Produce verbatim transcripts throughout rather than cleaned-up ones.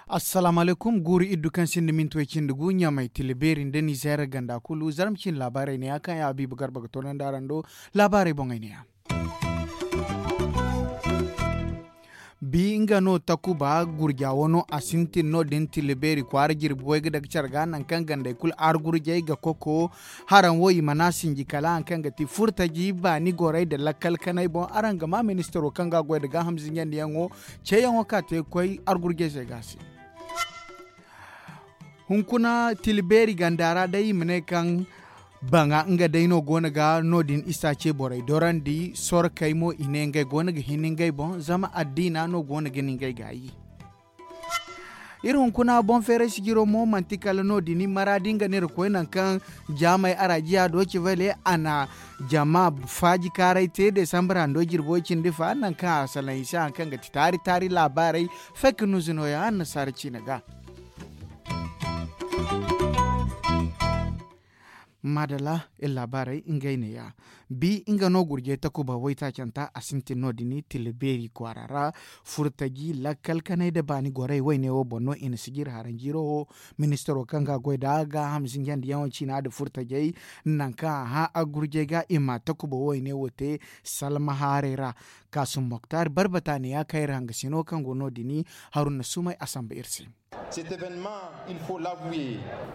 Assalaamu alaykum. Guuru iddu kaŋ sinda minti way cindi gu ɲamay tila beeri nda nizeer ganda kulu zarma cine laabaarey ne ya kaŋ ya habiibu garba ga toonandi araŋ do. Laabaarey boŋey ne ya. Bi nga no takuba gurja wano a sintin no- din tila beeri kwaara jirbi way ga daga care ga nangu kaŋ gandey kulu argurjey ga koko. Haraŋ wo i mana sinji kala hari kaŋ ga ti furtaji baani gorey nda lakkal kanay boŋ araŋ ga ma ministaro kaŋ ga a goy nda gaaham zinjandiyaŋo ceeyaŋo kaŋ a te ga koy argurjey se ga a se. Hunkuna tila beeri ganda ra day i ma ne kaŋ baŋa nga day no go no ga no- din isa ce borey dorandi sorkey mo i ne ngey go no ga hin ngey boŋ zama addiina no go no ga ni ngey gaayi. Iri hunkuna boŋ feeray sijiro mo manti kala no- din maraadi nga no iri koy nangu kaŋ jaamey araajiya do civale a na jama faaji kaaray te desambra ndo jirbo cindi fa nangu kaŋ a salaŋ i se hari kaŋ ga ti taari taari laabaarey. Fake nuzu no- ya annasaara ciine ga. Maadalla iri laabaarey ngey ne- ya. Bi nga no gurjey takuba waytaacanta a sintin no- din tila beeri kwaara ra. Furtaji lakkal kanay nda baani gorey wayne wo boŋ no i na sijiri haranjiiro wo. Ministaro kaŋ ga a goy nda gaaham zinjandiyaŋo ciina nda furtajey nangu kaŋ a hã argurjey ga i ma takuba wayne wo te. Salma haarey ra kaasum moktar barbata ne ya kaŋ iri hangasino kaŋ go no- din haruna sumay a samba iri se.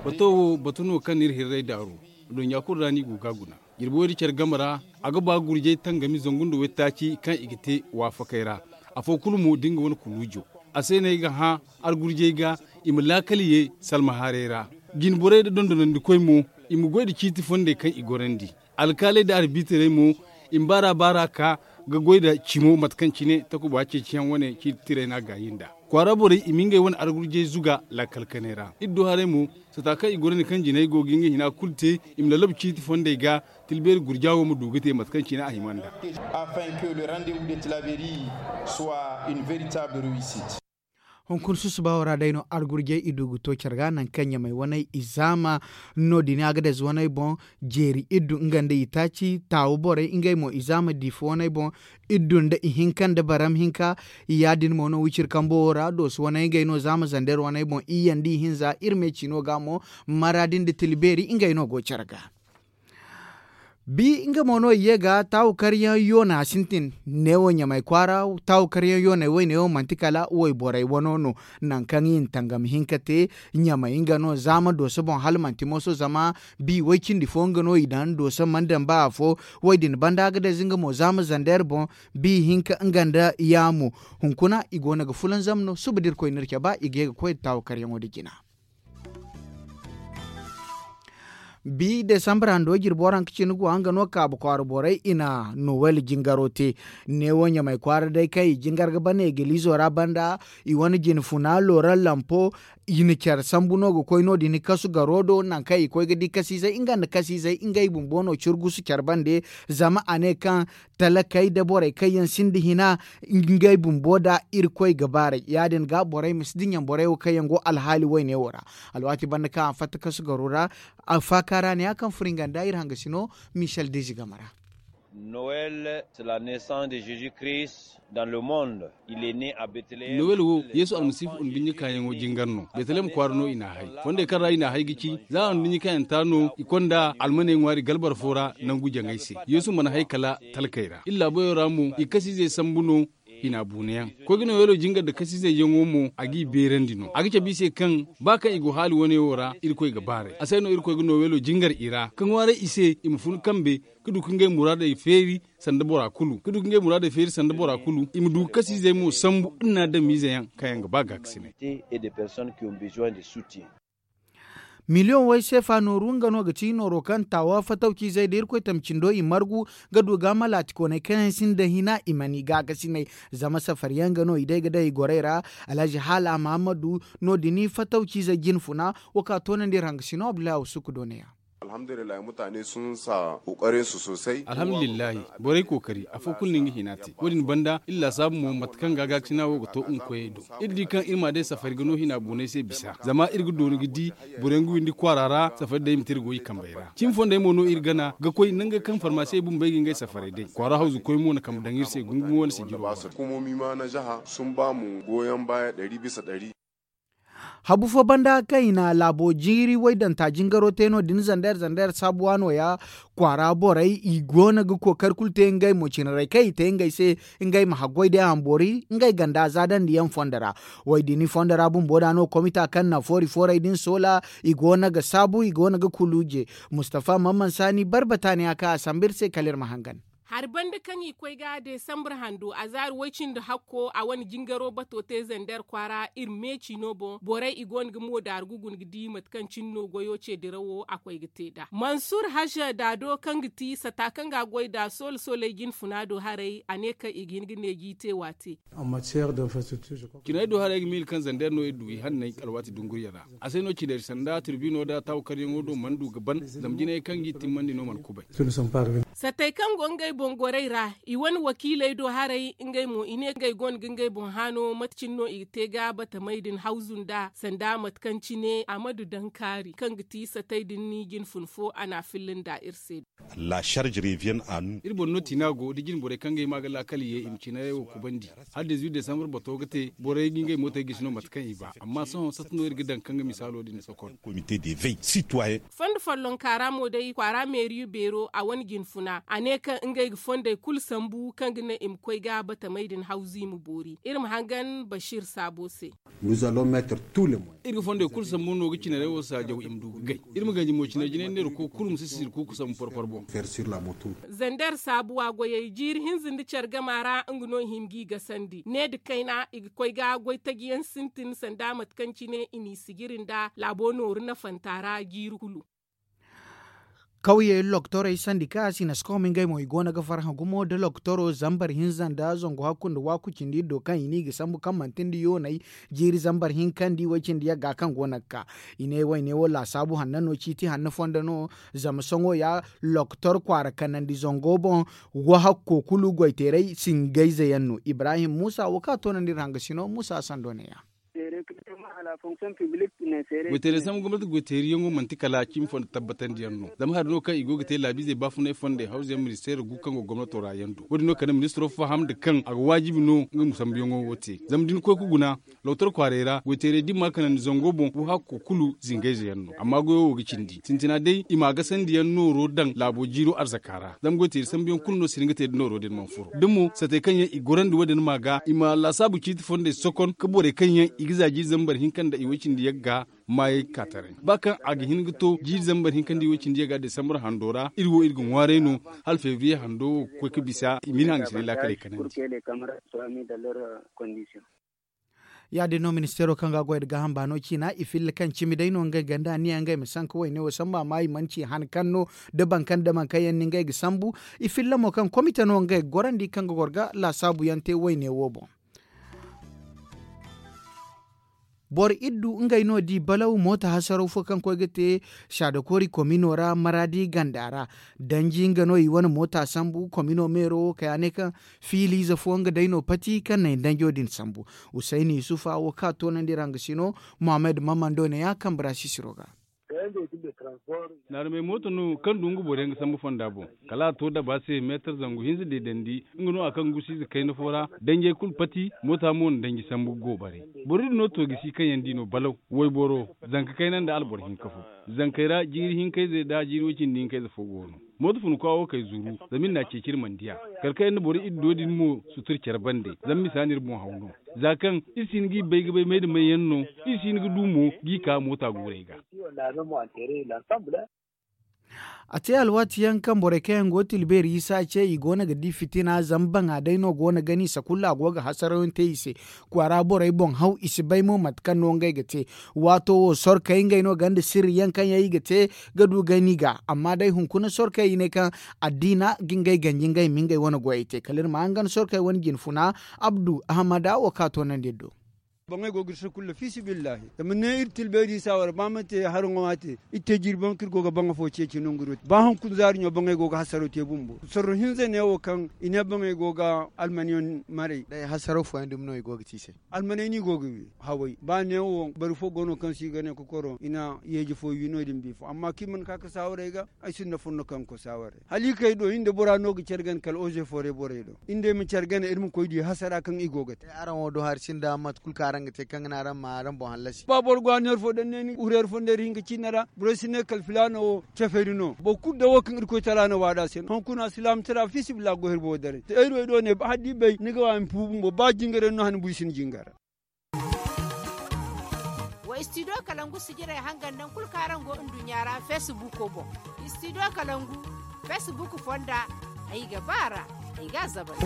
Bato wo batu no kaŋ no iri hirray daaru. Adduɲɲa kulu ra no i go ga a guna jirbi wo- din care game ra. A ga ba gurjay tangami zangu nda waytaaci kaŋ i ga te waafakey ra. Afo kulu mo da nga wane kuluujo a se no ay ga hã argurjay ga i ma laakal ye salma haaray ra. Jinborey nda dondonandikoy mo i ma goy nda ciiti fondey kaŋ i gorandi. Alkaaley nda arbitaray mo i ma baar'a baar'a ka ga goy nda cimo mate kaŋ cine takuba ceeciyaŋ wane ciiti tiray no a gaayi nd'a. Kwaara borey i ma ngey wane argurjey zuga laakal kanay ra iri du haray mo. Sata kaŋ i gorandi kaŋ jinay go ga nga hina kulu te i ma lallaba ciiti fondey ga. Tilbeeri gurja wo ma du ga te mate kaŋ cine a hima nd'a. Afin que le rendez-vous de tilaberi soit une véritable réussite. Hunkuna susuba wo ra day no argurjey i du ga to care ga nangu kaŋ ɲamay waney i zaama no- din a ga daze waney boŋ. Jeeri iddu nga nda i taaci taawu borey ngey mo i zaama diifa waney boŋ. Iddu nda ihinka nda baram hinka. Ya- din mo no wiciri kambo wo ra dooso waney ngey no zaama zander waney boŋ iyye nda ihinza iri me ciino ga mo. Maraadi nda tila beeri ngey no go care ga. Bi nga mo no i ye ga taawu karyaŋ yoona sintin. Neewo ɲamay kwaara taawu karyaŋ yooney woyne wo manti kala wayborey wano no. Nangu kaŋ i na tangam hinka te ɲamay nga no zaama dooso boŋ hala manti mooso zama bi way cindi fo nga no i daŋ dooso mana daŋ ba afo. Way din banda ga daze nga mo zaama zander boŋ. Bi hinka nga nda yaamu hunkuna i go no ga fulanzam no suba da irkoy n'iri cabe i ga ye ga koy nda taawu karyaŋo nda jina. Bi desambra ndo jirbo ra nga cine go a nga no kaabu kwaara borey i na nowel jingaro te. Neewo ɲamay kwaara day kaŋ i jingar ga bana egilizo ra banda i wane jinfuna lora lampo. I na care sambu no ga koy no- din kasu garo do nangu kaŋ i koy ga di kasiizey nga nda kasiizey ngey bumbo no ciri gusu care bande. Zama a ne kaŋ talakey nda borey kaŋ yaŋ sinda hina ngey bumbo nd'a irkoy ga baaray ya- din ga borey ma si dinya borey wo kaŋ yaŋ go alhaali woyne wo ra. Alwaati banda kaŋ a fatta kasu garo ra. Faaka ra ne ya kaŋ furo nga nda iri hangasino michel dezi game ra. Nowel c'est la naissance de jesus christ dans le monde. Nowel wo yeesu almasiihu nduɲɲa kaayaŋo jingar no betelem kwaara no i n'a hay. Fondey kaŋ ra i n'a hay ga ci za a nduɲɲa kaayanta no i konda almaney ŋwaari galbar fo ra nangu jaŋay se. Yeesu mana hay kala talkey ra iri laabayo ra mo i kasiizey sambu no. Hina buunayaŋ koy ga nowelo jingar nda kasiizey yaŋo mo a g'i beerandi no a ga cabe i se kaŋ ba kaŋ i go haali wane wo ra irkoy ga baaray a se no irkoy ga nowelo jingar i ra ka ŋwaaray i se i ma fun kambe ka du ka ngey muraadey feeri sanda bora kulu ka du ka ngey muraadey feeri sanda bora kulu i ma du ga kasiizey mo sambu nda ni adamiize yaŋ kaŋ yaŋ ga ba gaakasinay. Miliyoŋ way seefa nooru nga no ga ti nooro kaŋ taawa fatawciizey da irkoy tamcindo i margu ga du ga malaatikoney kaŋ yaŋ sinda hina i mana i gaakasinay. Zama safariyaŋ ga no i day ga day i gorey ra. Alhazi haala mahammadu no- din fatawciizey jinfuna wo ka toonandi iri hangasino abdullahi awsuku do ne- ya. Alhamdulillahi, borey kookari afo kulu no nga hina te. Wo- din banda iri laasaabu mo mate kaŋ ga gaakasina wo ga to nga koyey do. Iri di kaŋ iri ma day safari ga no hina boonay se bisa zama iri ga dooni ga di borey nga windi kwaara ra. Safari day i ma te iri goy i kambey ra cimi fondey mo no iri gana ga koy nangey kaŋ farmaasiyey bumbey ga ngey safaray day kwaara hawzu koy mo na kambe daŋ iri se gungumo wane sijiro. Habu fo banda kaŋ i na laabo jiiri waydanta jingaro te no- din zander zander saabuwa no- ya kwaara borey i go no ga kookari kulu te ngey mo cinarey kaŋ i te ngey se ngey ma haggoy day a ma boori ngey ganda zaadandiyaŋ fondo ra. Waydini fondo ra bumbo da no komita kaŋ na foori foorey din soola i go no ga saabu i go no ga kuluuje. Mustafa mamman saani barbata ne a kaŋ a sambu iri se kala iri ma hangan. Hari banda kaŋ i koy ga desambre hando a zaari way-cindi hakko a wane jingaro bato te zander kwaara iri meeci no boŋ borey i go no ga moodaaru ga guna ga di mate kaŋ cine no goyo ce dirawo a koy ga te nd'a mansur haza daado kaŋ ga ti sata kaŋ ga a goy nd'a soole sooley jinfuna do haray a ne kaŋ i ga hin ga neeji te waate. Ciney do haray ga miila kaŋ zander no iri du i hanney alwaati dunguriyaŋ ra. A se no cinari sanda tirbino nda taawu karyaŋo do mana du ga ban zama jinayey kaŋ g'i timmandi no mana kubay. Satey kaŋ go ngey boŋ gorey ra i wane wakiiley do haray ngey mo i ne ngey gonda ga ngey boŋ haano mate cine no i ga te ga batamey din hawzu nd'a sanda mate kaŋ cine a ma du daŋ kaari kaŋ ga ti satey din ni jinfun fo a na a filla nd'a iri se. Iri boŋ no tiina go da jine borey kaŋ ga hima ga laakal ye i ma ciinarey wo kubandi. Hala desambar bato ga te borey ga ngey mootey gisi no mate kaŋ i ba amma sohõ sata no iri ga daŋ kaŋ ga misaalo din sokon. Fondo follonka ra mo day kwaara meeriyo beero a wane jinfuna a ne kaŋ ngey ga fondey kulu sambu kaŋ ga naŋ i ma koy ga batamey din hawzu i ma boori iri ma hangan basiir saabo se. Iri ga fondey kulu sambu no ga cinarey wo saajaw i ma du ga gay. Iri ma ganji mo cinay jinay neera koy kulu ma si sisiri kuuku sambu porpor boŋ. Zander saabuwa goyey jiiri hinza nda care gama ra nga no i hin g'i gasandi ne nda kayna i ga koy ga goy taji yaŋ sintin sanda mate kaŋ cine i n'i sijiri nda laabo nooru nafanta ra jiiri kulu. Kawye loktorey sandika sinaskomi ngey mo i go no ga farhã gumo nda loktoro zambar hinza nda zangu hakku nda waaku cindi iri do kaŋ i ne i ga sambu kaŋ manti nda yooney jiiri zambar hinkandi way-cindi yagga kaŋ go no ga ka. I ne wayne wo laasaabu hanno no ciiti hanno fondo no. Zama sohõ ya loktor kwaara kanandi zango boŋ. Wahakko kulu goyteeray singayze yaŋ no ibrahim muusa wo kaŋ a toonandi iri hangasino muusa sando ne- ya. Goyteeray sambu gomnati goyteeriyaŋo manti kala cimi fondo tabbatandiyaŋ no zama hari no kaŋ i go ga te laabiizey baafunay fondey hawzuyaŋ ministeero gu kaŋ go gomnato ra yaŋ do wo- din no kala ministiro faham nda kaŋ a ga waajibi no nga ma sambuyaŋo wo te zama da ni koy ga guna. Lokotor kwaaray ra goyteeray da i ma kanandi zango boŋ wo hakko kulu zingayze yaŋ no amma goyo wo ga cindi sintina day i ma a gasandi yaŋ nooro daŋ laabo jiiro arzaka ra zama goyteeray sambu yaŋ kulu no si hin ga te da nooro din mana furo da mo satey kaŋ yaŋ i gorandi wo- din ma ga i ma laasaabu ciiti fondey sokon ga borey kaŋ yaŋ i ga za jiiri zambar hinka nda i way cindi yagga maayey ka taray ba kaŋ a ga hin ga to jiiri zambar hinka nda i way cindi yagga desambar hando ra iri wo iri ga ŋwaaray no. Hala febriye hando wo ga koy ga bisa i ma iri hangasinay laakaley kanandi. Ya- din no ministeero kaŋ ga a goy nda gaaham baano ciina i filla kaŋ cimi day no ngey ganda niya ngey ma sanka wayne wo samba amma i mana ci han kaŋ no da baŋ kaŋ da baŋ kaŋ yaŋ no ngey ga sambu. I filla mo kaŋ komite no ngey ga gorandi kaŋ ga goro ga laasaabu yaŋ te wayne wo boŋ. Boro iddu ngey no di balaw moota hasaraw fo kaŋ koy ga te saadakoori komino ra maraadi ganda ra. Danji nga no i wane moota sambu komino meero wo kay a ne kaŋ fiiliize fo nga day no pati kaŋ na i danjo din sambu. Husayni yusufa wo kaŋ a toonandi ra nga si no. Mohammed mamando ne ya kambe ra sisiro ga. Naarumey mooto no kaŋ du nga boro yaŋ ga sambu fonda boŋ kala a to daba se meetar zangu hinza deedandi. Nga no a kaŋ gusiize kayna fo ra danjey kulu pati moota mo na danji sambu ga go bare. Boro din no to gisi kaŋ yaŋ di no balaw wayboro zanka kayna nda alboro hinka fo. Zankey ra jiiri hinkayze nda jiiri way-cindi hinkayze fo go no. Mooto funa kwa wo kay zuru zama iri n'a ceeci iri mana di a. Kala kaŋ yaŋ na boro iddo din mo sutur care bande zama misa no iri boŋ haw no. Za kaŋ iri si hin g'i bay ga bay may nda may yaŋ no iri si hin ga du mo g'i ka moota guurey ga. A te alwaati yaŋ kaŋ borey kaŋ yaŋ go ga tila beeri isa ce i go no ga di fitina zama baŋa day no go no gani sakulla go ga hasarayaŋ te i se. Kwaara borey boŋ haw i si bay mo mate kaŋ no ngey ga te. Waato wo sorkey ngey no gonda sirri yaŋ kaŋ yaŋ i ga te ga du gani ga amma day hunkuna sorkey i ne kaŋ addiina ga ngey ganji ngey ma ngey wane goyey te kala iri ma hangan sorkey wane jinfuna. Abdu ahamada wo kaŋ a toonandi iri do. Boŋey go ga iri sakulla fiisibillahi zama ne iri tilbeeri saawara ba ma te haraŋo ma te. Iri te jirbi boŋ kaŋ iri go ga baŋ afo ceeci nangu iri wo te ba hunkuna zaari ɲo boŋey go ga hasaro te bumbo sorro hinza neewo kaŋ i ne boŋey go ga almaniyaŋ maray. Day hasaro fooyaŋ dumi no i go ga te i se. Almaney no i go ga wi haway ba neewo bari fo go no kaŋ se i ga ne kokoro i na yeeji fo wi no- din bifo amma kaŋ i mana ka ga saawarey ga. Ay sinda fonno kaŋ ga koy saawarey hala i kay do i nda bora no ga care gana kala oze fooray borey do. I nda ay ma care gana iri ma koy di hasara kaŋ i go ga te. Araŋ wo do hari sinda mate kulu kaŋ araŋ ga te kaŋ ga naŋ araŋ ma araŋ boŋ hallasi. Ba boro go a neera fo daŋ ne ni hurayra fo nda iri hinka ciina ra borey si ne kala filaana wo cafari no boro kulu da wo kaŋ irkoy tala no waada se no hunkuna silaama tira fiisabilillahi go hiri boro daray te ay ruway do ne ba hala da i bay ni ga wa ma fu bumbo ba jingaray no hane buy si ni jingara. Wa istidiyo kalangu sijirey hangan daŋ kulu kaŋ araŋ go nduɲɲa ra feesibuko boŋ. Istidiyo kalangu feesibuko fonda ay ga ba a ra. Ay ga a zabari.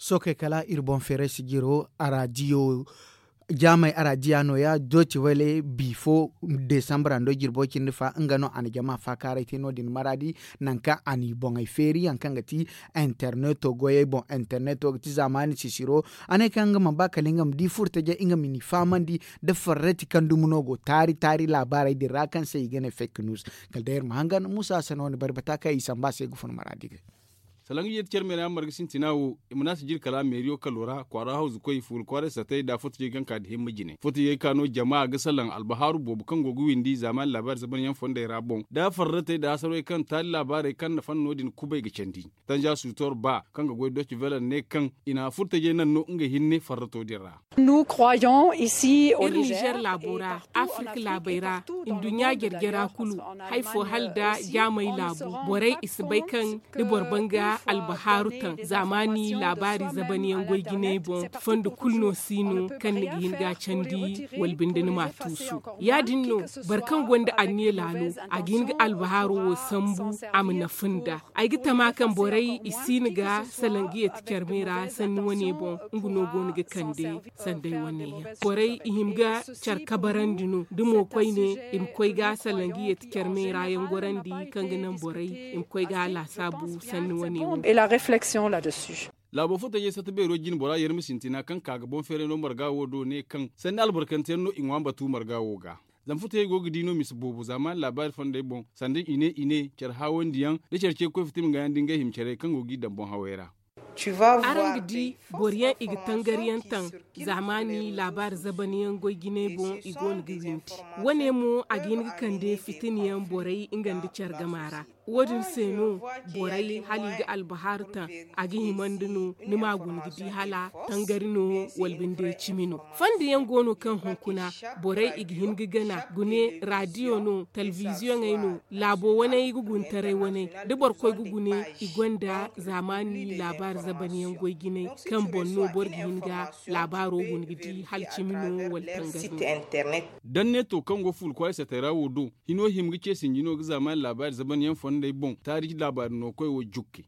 Sookey kala iri boŋ feeray sijiro araadiyo jaamey araadiya nooya dooti wele bi fo desambra nda jirbo cindi fa nga no a na jama faakaaray te no- din maraadi. Nangu kaŋ a n'i boŋey feeri yaŋ kaŋ ga ti interneto goyey boŋ interneto ga ti zaamaani sisiro. A ne kaŋ nga mana ba kala nga ma di furtajey nga ma n'i fahamandi nda farrati kaŋ dumi no go taari taari laabaarey din ra kaŋ se i ga ne fake news. Kala day iri ma hangan muusa hassan wane bari bata kaŋ i samba se ga fun maraadi ga. Salaŋ ga yeeti care meera yaŋ marga sintina wo i ma ne a si jiri kala meeriyo kalo ra kwaara hawzu koy fuula kwaaray satay nda furtajey kaŋ ka nda himma jine furtajey ka no jama ga salaŋ albahaaru boobo kaŋ go ga windi zaamaani laabaari zaban yaŋ fondey ra boŋ nda farratey nda hasarwey kaŋ taali laabaarey kaŋ na fanno din kubay ga candi. Tanja sutor ba kaŋ ga goy doci velan ne kaŋ i na furtajey naŋ no nga hinne farrato din ra. Iri nizer laabo ra afirka laabey ra nduɲɲa jare-jara kulu hari fo hala nda jaamey laabu borey i si bay kaŋ da boro ban ga albahaaru taŋ zaamaani laabaari zaban yaŋ goy jinay boŋ fondo kulu no si no kaŋ ni ga hin ga a candi wala binde ni m'a tuusu. Ya- din no boro kaŋ gonda anniya laalo a ga hin ga albahaaro wo sambu a ma nafa nd'a. Ay ga tama kaŋ borey i si no ga salaŋ ga yeeti carmey ra sanni wane boŋ nga no go no ga kande sanday wane yaŋ borey i hima ga care kabarandi no da mo koyne i ma koy ga salaŋ ga yeeti carmey ra yaŋ gorandi kaŋ ga naŋ borey i ma koy ga laasaabu sanni wane wo. Laabo fo tajey satta beero jine bora yarma sintina kaŋ ka ga boŋ feeray no marga wo do ne kaŋ sanni albarkanteyaŋ no i ŋwa batu marga wo ga. Zama futayey go ga di no misa boobo zaamaani laabaari fondey boŋ sanda i ne i ne care haawandiyaŋ da care ce ga koy fitim ga yaŋ da ngey hima carey kaŋ go g'i daŋ boŋ hawey ra. Araŋ ga di boro yaŋ i ga tangari yaŋ taŋ zaamaani laabaari zaban yaŋ goy jinay boŋ i go no ga windi. Wane mo a ga hin ga kande fitina yaŋ borey nga nda care gama ra. Wo- din se no borey hala i ga albahaaru taŋ a ga himandi no ni m'a guna ga di hala tangari no wala binde cimi no. Fondo yaŋ go no kaŋ hunkuna borey i ga hin ga gana gune raadiyo no telebiziyoŋey no laabo waney ga guntaray waney da boro koy ga gune i gonda zaamaani laabaari zaban yaŋ goy jinay kaŋ boŋ no boro ga hin ga laabaaro guna ga di hala cimi no wala tangari no. Danneto kaŋ go fuula kwaaray satay ra wo do hino hima ga ce sinji no ga zaamaani laabaari zaban yaŋ fondey boŋ taariji laabaari no koy wo jukke.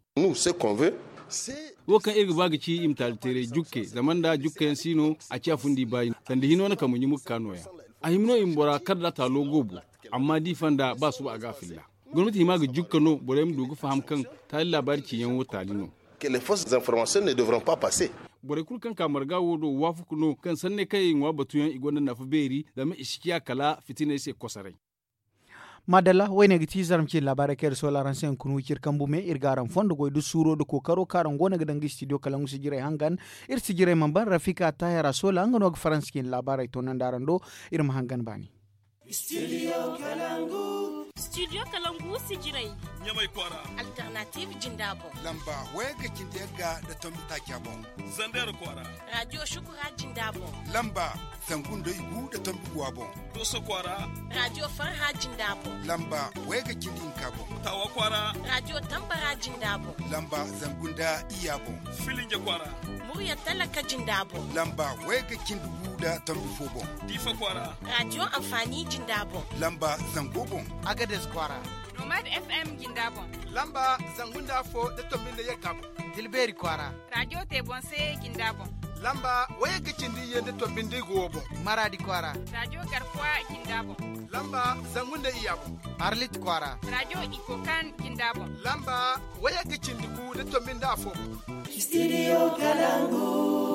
Wo kaŋ iri ga ba ga ci i ma taali teeray jukke zama nda jukke yaŋ si no a ciya fundi baayi sanda hino na kambu ɲumu ga ka nooya. A hima no i ma bora kar da taalo goobo amma da i fanda ba suba a ga a filla. Gomnati hima ga jukka no borey ma du ga faham kaŋ taali laabaari ciyaŋo taali no. Borey kulu kaŋ ka marga wo do waafaku no kaŋ sanney kaŋ i ŋwa batuyaŋ i gonda nafa beeri zama i si ciya kala fitiney se kosoray. Maadalla woyne ga ti zarma cine laabaarey kaŋ iri soola araŋ se hunkuna wiciri kambu me iri ga araŋ fondo goy da suuro da kookaro kaŋ araŋ go no ga daŋ ga studio kala ngu sijirey hangan. Iri sijirey mana ban rafika tahira soola nga no ga faransa cine laabaarey toonandi araŋ do. Iri ma hangan baani. Studio kalangu sijirey ɲamay kwaara. Alternative jinda boŋ lamba wayga cindi yagga da tombi taaca boŋ. Zander kwaara. Radio shukura jinda boŋ lamba zangu nda igu da tombi guwa boŋ. Doso kwaara. Radio farha jinda boŋ lamba wayga cindi hinka boŋ. Tawa kwaara. Radio tambara jinda boŋ lamba zangu nda iya boŋ. Filinja kwaara. Murya talaka jinda boŋ lamba wayga cindi gu da tombi fo boŋ. Diifa kwaara. Radio amfani jinda boŋ lamba zango boŋ. Agades kwaara. Nomad fm jinda boŋ lamba zangu nda afo da tombi nda yagga boŋ. Tilbeeri kwaara. Radio te boŋ se jinda boŋ lamba wayagga cindi iyye nda tombi nda igu wo boŋ. Maraadi kwaara. Radio garkuwa jinda boŋ lamba zangu nda iya boŋ. Arlit kwaara. Radio ikokan jinda boŋ lamba wayagga cindi gu nda tombi nda afo boŋ. Studio kalangu.